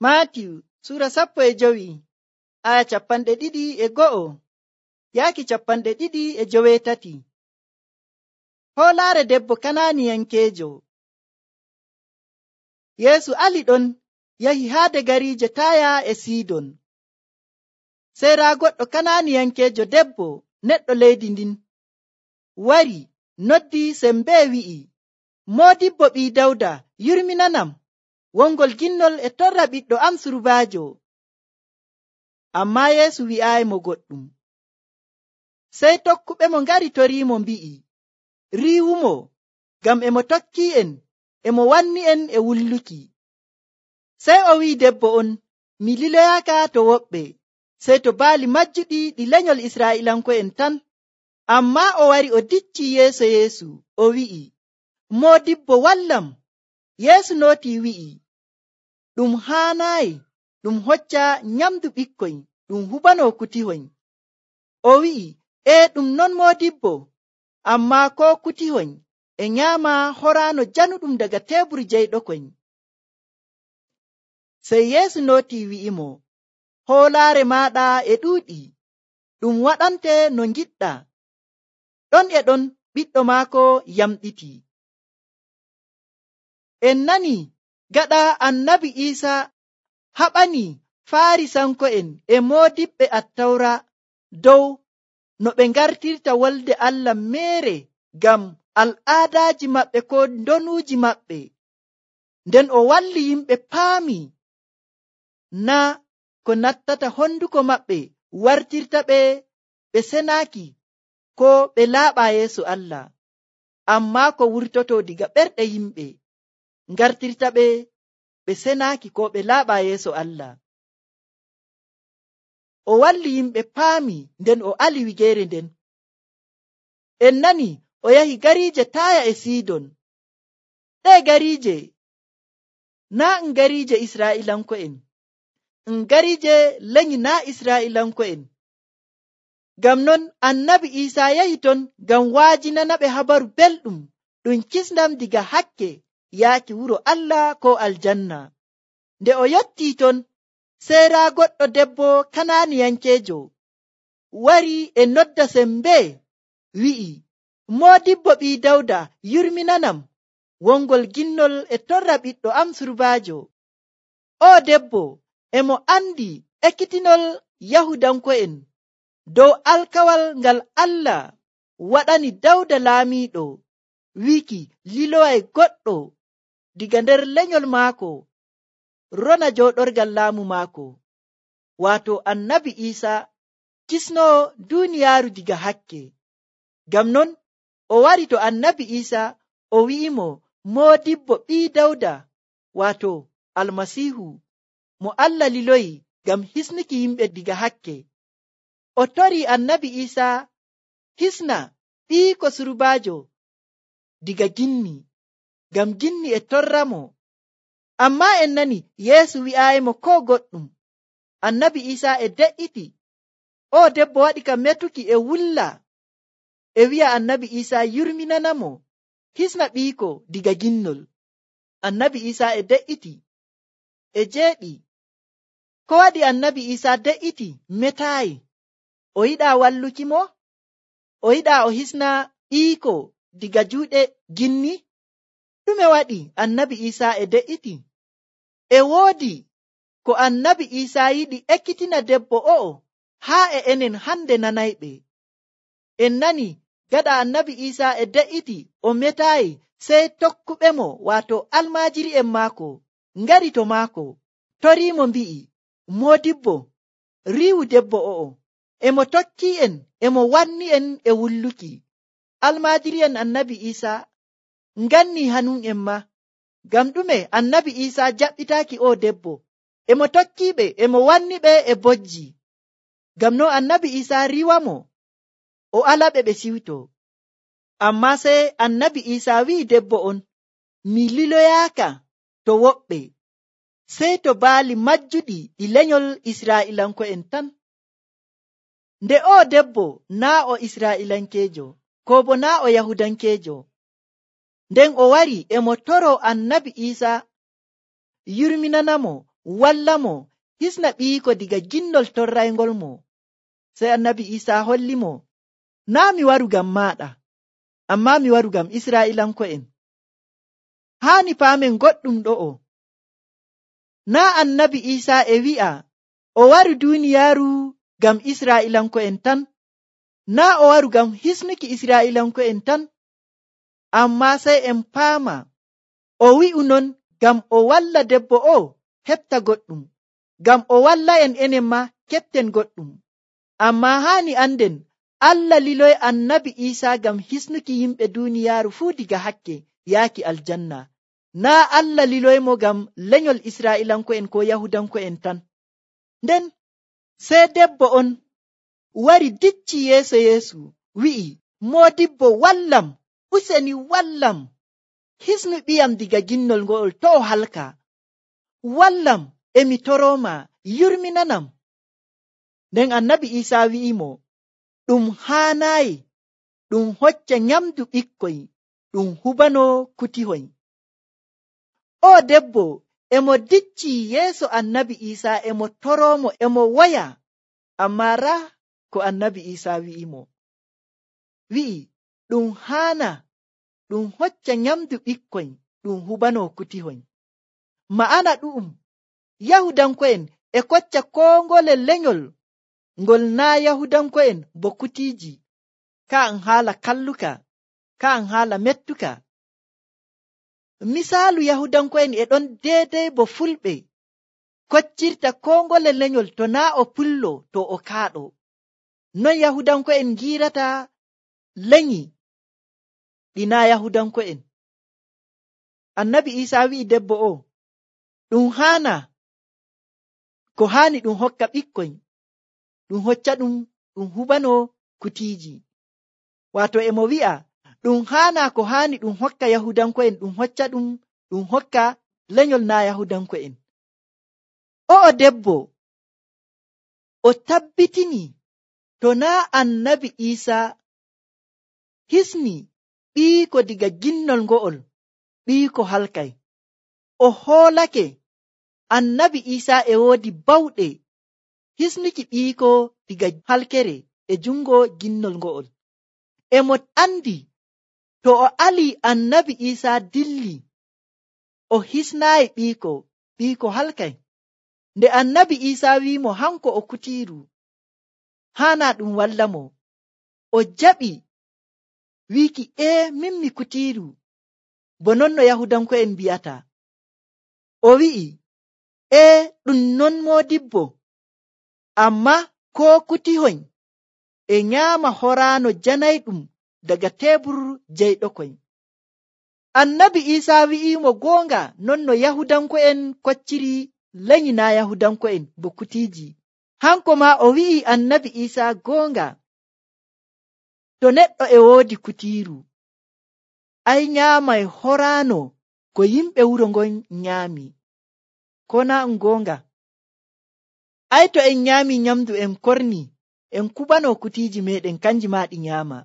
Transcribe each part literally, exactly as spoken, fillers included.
Maatiyu sura sappo e jowi aya capanɗe ɗiɗi e go'o yaaki capanɗe ɗiɗi e joweetati. Hoolaare debbo Kanaaniyankeejo. Yeesu ali ɗon yahi haade gariije Taaya e Siidon. Sey raa goɗɗo Kanaaniyankeejo debbo neɗɗo leydi ndin wari noddi sembee wi'i, Moodibbo ɓii Dawda, yurminanam, wongol ginnol e torra ɓiɗɗo am surbaajo. Ammaa Yeesu wi'aayimo goɗɗum. Sey tokkuɓe mo ngari toriimo mbi'i, riiwumo, ngam e mo tokkii'en, e mo wanni'en e wulluki. Sey o wi'i debbo on, mi liloyaaka to woɓɓe, sey to baali majjuɗi ɗi lenyol Israa'iilanko'en tan. Ammaa o wari o diccii yeeso Yeesu, o wi'i, Moodibbo wallam. Yeesu nootii wi'i, ɗum haanaayi ɗum hocca nyamdu ɓikkoy ɗum hubanoo kutihoy. O wi'i, ee ɗum non Moodibbo, ammaa koo kutihoy e nyaama horaano januɗum daga teebur jeyɗokoy. Sey Yeesu nootii wi'imo, hoolaare maaɗa e ɗuuɗi, ɗum waɗante no ngiɗɗa. Ɗon e ɗon ɓiɗɗo maako yamɗiti. En nani gaɗa annabi Iisa haɓani Faarisanko'en e moodiɓɓe Attawra dow no ɓe ngartirta wolde Allah meere ngam al'aadaaji maɓɓe ko ndonuuji maɓɓe. Nden o walli yimɓe paami naa ko nattata honduko maɓɓe wartirta ɓe ɓe senaaki ko ɓe laaɓa yeeso Allah, ammaa ko wurtoto diga ɓerɗe yimɓe ngartirta ɓe ɓe senaaki ko ɓe laaɓa yeeso Allah. O walli yimɓe paami nden o ali wigeere nden. En nani o yahi gariije Taaya e Siidon. Ɗee gariije naa ɗum gariije Israa'iilanko'en, ɗum gariije lenyi naa Israa'iilanko'en. Ngam non annabi Iisaa yahi ton ngam waajinana ɓe habaru belɗum ɗum kisndam diga hakke yaaki wuro Allah ko aljanna. Nde o yottii ton, sey raa goɗɗo debbo Kanaaniyankeejo wari e nodda sembee wi'i, Moodibbo ɓii Dawda, yurminanam, wongol ginnol e torra ɓiɗɗo am surbaajo. O debbo e mo andi ekkitinol Yahudanko'en dow alkawal ngal Allah waɗani Dawda laamiiɗo, wiiki liloway goɗɗo diga nder lenyol maako rona jooɗorgal laamu maako, waato annabi Iisa kisnoo duuniyaaru diga hakke. Ngam non o wari to annabi Iisa o wi'imo Moodibbo ɓii Dawda, waato Almasiihu mo Allah liloyi ngam hisnuki yimɓe diga hakke. O torii annabi Iisa hisna ɓiiko surbaajo diga ginni, ngam ginni e torramo. Ammaa en nani Yeesu wi'aayimo koo goɗɗum. Annabi Iisa e de'iti. O debbo waɗi ka metuki e wulla e wi'a annabi Iisa yurminanamo hisna ɓiiko diga ginnol. Annabi Iisa e de'iti e jeeɗi. Ko waɗi annabi Iisa de'iti metaayi? O yiɗaa walluki mo? O yiɗaa o hisna ɓiiko diga juuɗe ginni? Ɗume waɗi annabi Iisa e de'iti? E woodi ko annabi Iisa yiɗi ekkitina debbo o'o haa e enen hande nanayɓe. En nani gaɗa annabi Iisa e de'iti o metaayi, sey tokkuɓe mo waato almaajiri'en maako ngari to maako toriimo mbi'i, Moodibbo, riiwu debbo o'o, e mo tokkii'en e mo wanni'en e wulluki. Almaajiri'en annabi Iisa nganni hanum'en ma. Ngam ɗume annabi Iisa jaɓɓitaaki o debbo? E mo tokkiiɓe e mo wanniɓe e bojji. Ngam no annabi Iisa riwamo o alaɓe ɓe siwto. Ammaa sey annabi Iisa wi'i debbo on, mi liloyaaka to woɓɓe, sey to baali majjuɗi ɗi lenyol Israa'iilanko'en tan. Nde o debbo naa o Israa'iilankeejo, ko bo naa o Yahudankeejo. Nden o wari e mo toro annabi Iisa yurminanamo walla mo hisna ɓiiko diga ginnol torraygol mo. Sey annabi Isa holli mo, naa mi waru ngam maaɗa, amma mi waru ngam Israa'ilanko'en. Haani paamen goɗɗum ɗo'o. Naa annabi Isa e wi'a o waru duuniyaaru ngam Israa'ilanko'en tan, naa o waru ngam hisnuki Israa'ilanko'en tan, amma sey en paama o wi'u non ngam o walla debbo o heɓta goɗɗum, ngam o walla en enen ma keɓten goɗɗum. Amma haani anden Allah liloy annabi Isa ngam hisnuki yimɓe duuniyaaru fuu diga hakke yaaki aljanna. Naa Allah liloymo ngam lenyol Israa'ilanko'en ko Yahudanko'en tan. Nden sey debbo on wari dicci yeeso Yeesu, wi'i, Moodibbo, wallam, useni wallam, hisnu ɓiyam diga ginnol ngo'ol to o halka. Wallam, emi toroma, yurminanam. Nden annabi Isa wi'imo, ɗum haanayi ɗum hocca nyamdu ɓikkoy, ɗum hubano kutihoy. O debbo emo dicci yeeso annabi Isa, emo toromo, emo waya, amma raa ko annabi Isa wi'imo. Wi'i, ɗum haana ɗum hocca nyamdu ɓikkoy, ɗum hubano kutihoy. Ma'ana ɗu'um, Yahudanko'en e kocca koo ngole lenyol ngol naa Yahudanko'en bo kutiiji, ka'an haala kalluka, ka'an haala mettuka. Misaalu Yahudanko'en e ɗon deedey bo fulɓe koccirta koo ngole lenyol to naa o pullo to o kaaɗo. Non Yahudanko'en giirata lenyi ɗi naa Yahudanko'en. Annabi Isa wi'i debbo o, ɗum haana ko haani ɗum hokka ɓikkoy, ɗum hocca ɗum, ɗum hubano kutiiji. Waato emo wi'a ɗum haana ko haani ɗum hokka Yahudanko'en, ɗum hocca ɗum, ɗum hokka lenyol naa Yahudanko'en. O'o debbo o tabbitini to naa annabi Isa hisni ɓiiko diga ginnol ngo'ol, ɓiiko halkay. O hoolake annabi Isa e woodi bawɗe hisnuki ɓiiko diga halkere e jungo ginnol ngo'ol. Emo andi to o ali annabi Isa dilli o hisnaayi ɓiiko, ɓiiko halkay. Nde annabi Isa wi'imo hanko o kutiiru, haana ɗum walla mo. O jaɓi wiiki, ee min mi kutiiru, bo non no Yahudanko'en mbi'ata. O wi'i, ee ɗum non Moodibbo, amma ko kutihoy e nyaama horaano janayɗum daga teebur jeyɗokoy. Annabi Isa wi'imo goonga non no Yahudanko'en kocciri lenyi naa Yahudanko'en bo kutiiji. Hanko ma o wi'i annabi Isa goonga, to neɗɗo e woodi kutiiru, ay nyaamay horaano ko yimɓe wuro ngon nyaami. Ko naa ɗum goonga? Ay to en nyaami nyamdu en korni, en kubano kutiiji meɗen kanji ma ɗi nyaama.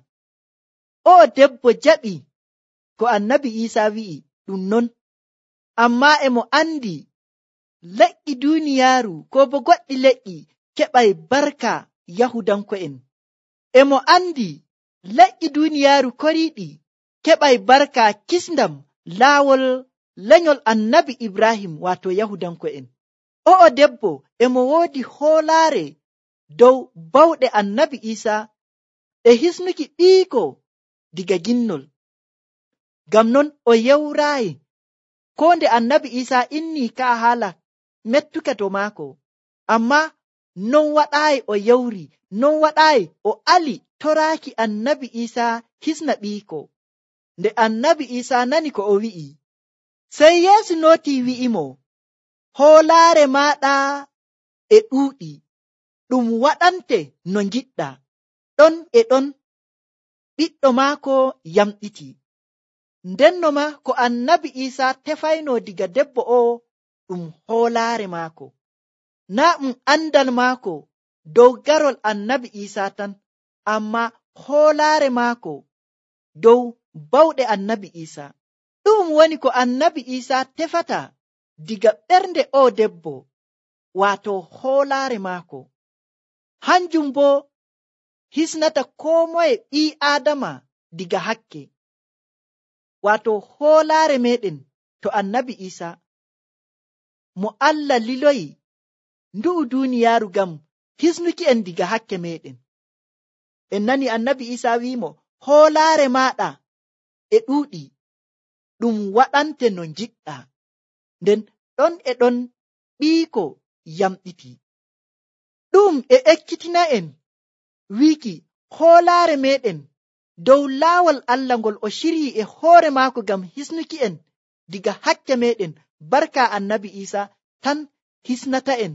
O debbo jaɓi ko annabi Isa wi'i ɗum non, amma emo andi leƴƴi duuniyaaru ko bo goɗɗi leƴƴi keɓay barka Yahudanko'en. Emo andi leƴƴi duuniyaaru koriiɗi keɓay barka kisndam laawol lenyol annabi Ibrahim, waato Yahudanko'en. O'o debbo emo woodi hoolaare dow bawɗe annabi Isa e hisnuki ɓiiko diga ginnol. Ngam non o yewraayi ko nde annabi Isa inni ka haala mettuka to maako, amma non waɗaayi o yewri, non waɗaayi o ali toraaki annabi Isa hisna ɓiiko. Nde annabi Isa nani ko o wi'i, sey Yeesu nootii wi'imo, hoolaare maaɗa e ɗuuɗi, ɗum waɗante no ngiɗɗa. Ɗon e ɗon ɓiɗɗo maako yamɗiti. Ndenno ma ko annabi Isa tefayno diga debbo o ɗum hoolaare maako, naa ɗum andal maako dow garol annabi Isa tan, amma hoolaare maako dow bawɗe annabi Isa. Ɗum woni ko annabi Isa tefata diga ɓernde o debbo wato hoolaare maako. Hanjum bo hisnata koo moye ɓii aadama diga hakke. Wato hoolaare meɗen to annabi Isa mo Allah liloyi ndu'u duuniyaaru ngam hisnuki en diga hakke meɗen. En nani annabi Isa wiimo, hoolaare maaɗa e ɗuuɗi, ɗum waɗante no njiɗɗa. Nden ɗon e ɗon ɓiiko yamɗiti. Ɗum e ekkitina en wiiki hoolaare meɗen dow laawol Allah ngol o shiryi e hoore maako ngam hisnuki en diga hakke meɗen. Barka annabi Isa tan hisnata en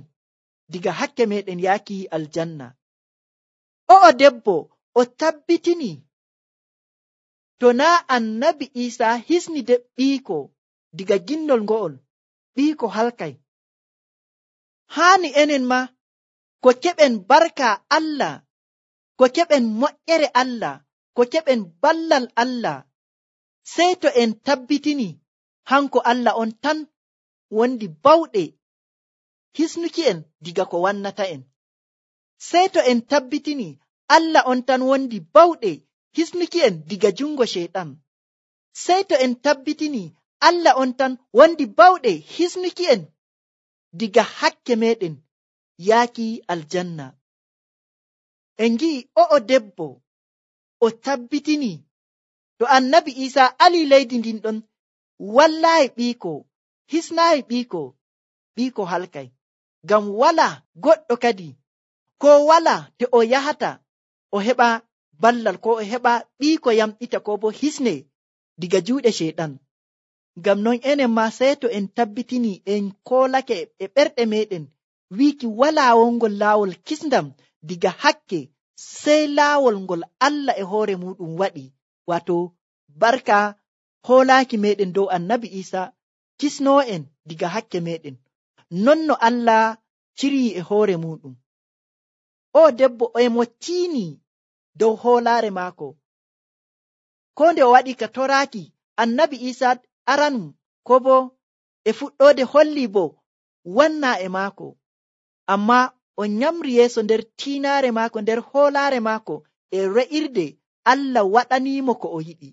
diga hakke meɗen yaaki aljanna. O'o debbo o tabbitini to naa annabi Isa hisni de ɓiiko diga ginnol ngo'ol, ɓiiko halkay. Haani enen ma ko keɓen barka Allah, ko keɓen moƴƴere Allah, ko keɓen ballal Allah, sey to en tabbitini hanko Allah on tan wondi bawɗe hisnuki en diga ko wannata en. Sey to en tabbitini Allah on tan wondi bawɗe hisnuki en diga jungo sheyɗan. Sey to en tabbitini Allah on tan wondi bawɗe hisnuki en diga hakke meɗen yaaki aljanna. En gi'i o'o debbo o tabbitini to annabi Isa ali leydi ndin ɗon wallayi ɓiiko, hisnayi ɓiiko, ɓiiko halkay. Ngam wala goɗɗo kadi ko wala te o yahata o heɓa ballal ko o heɓa ɓiiko yamɗita ko bo hisne diga juuɗe sheyɗan. Ngam non enen ma sey to en tabbitini en koolake e ɓerɗe meɗen wiiki wala wongol laawol kisndam diga hakke sey laawol ngol Allah e hoore muɗum waɗi, wato barka hoolaaki meɗen dow annabi Isa kisnoo en diga hakke meɗen, non no Allah ciryi e hoore muɗum. O debbo e mo tiini dow hoolaare maako, ko nde o waɗi ka toraaki annabi Isa aranum, ko bo e fuɗɗoode holli bo wanna e maako, amma o nyamri yeeso nder tiinaare maako, nder hoolaare maako e re'irde Allah waɗaniimo ko o yiɗi.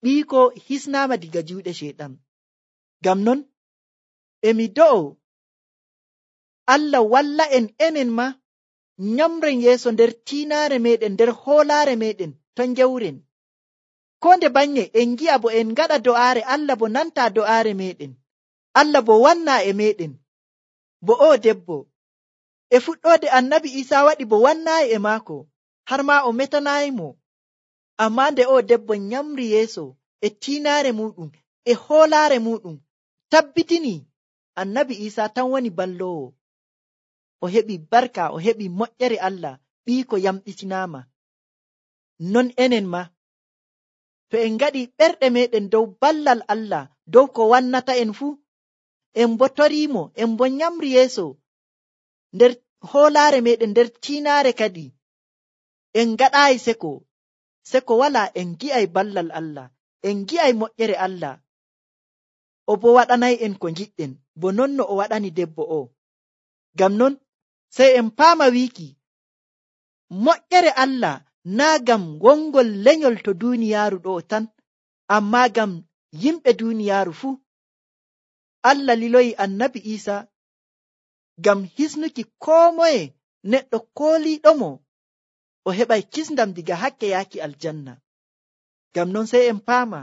Ɓiiko hisnaama diga juuɗe sheyɗan. Ngam non emi do'o Allah walla en enen ma nyamren yeeso nder tiinaare meɗen, nder hoolaare meɗen to njewren. Ko nde banye en gi'a bo en ngaɗa do'aare, Allah bo nanta do'aare meɗen, Allah bo wanna e meɗen. Bo o debbo e fuɗɗoode annabi Isa waɗi bo wannaayi e maako, har ma o metanayimo. Amma nde o debbo nyamri yeeso e tiinaare muɗum e hoolaare muɗum, tabbitini annabi Isa tan woni ballowo, o heɓi barka, o heɓi moƴƴere Allah, ɓiiko yamɗitinaama. Non enen ma to en ngaɗi ɓerɗe meɗen dow ballal Allah, dow ko wannata en fuu, en bo toriimo, en bo nyamri yeeso nder hoolaare meɗen, nder tiinaare kadi en ngaɗaayi seko, seko wala, en gi'ay ballal Allah, en gi'ay moƴƴere Allah, o bo waɗanay en ko ngiɗɗen, bo non no o waɗani debbo o. Ngam non sey en paama wiiki moƴƴere Allah naa gam wongol lenyol to duuniyaaru ɗo tan, amma gam yimɓe duuniyaaru fuu. Allah liloyi annabi Isa gam hisnuki koo moye neɗɗo kooliiɗomo o heɓay kisndam diga hakke yaaki aljanna. Ngam non sey en paama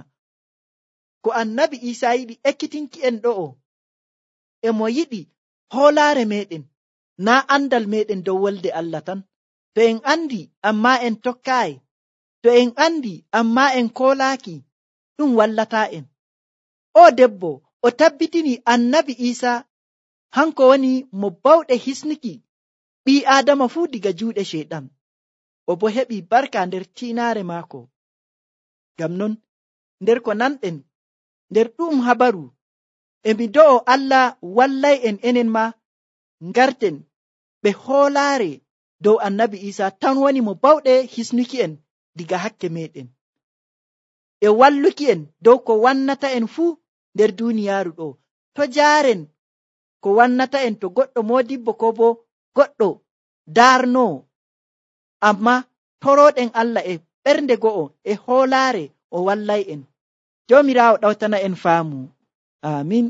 ko annabi Isa yiɗi ekkitinki en ɗo'o, e mo yiɗi hoolaare meɗen, naa andal meɗen dow wolde Allah tan. To en andi amma en tokkaayi, to en andi amma en koolaaki, ɗum wallata en. O debbo o tabbitini annabi Isa hanko woni mo bawɗe hisnuki ɓii Aadama fuu diga juuɗe sheyɗan, o bo heɓi barka nder tiinaare maako. Ngam non nder ko nanɗen nder ɗum habaru, emi do'o Allah wallay en enen ma ngarten ɓe hoolaare dow annabi Isa tan woni mo bawɗe hisnuki en diga hakke meɗen, e walluki en dow ko wannata en fuu nder duuniyaaru ɗo, to jaaren ko wannata en to goɗɗo modibbo ko bo goɗɗo darnoo, amma toroɗen Allah e ɓernde go'o e hoolaare o wallay en. Joomiraawo ɗawtana en faamu. Amin.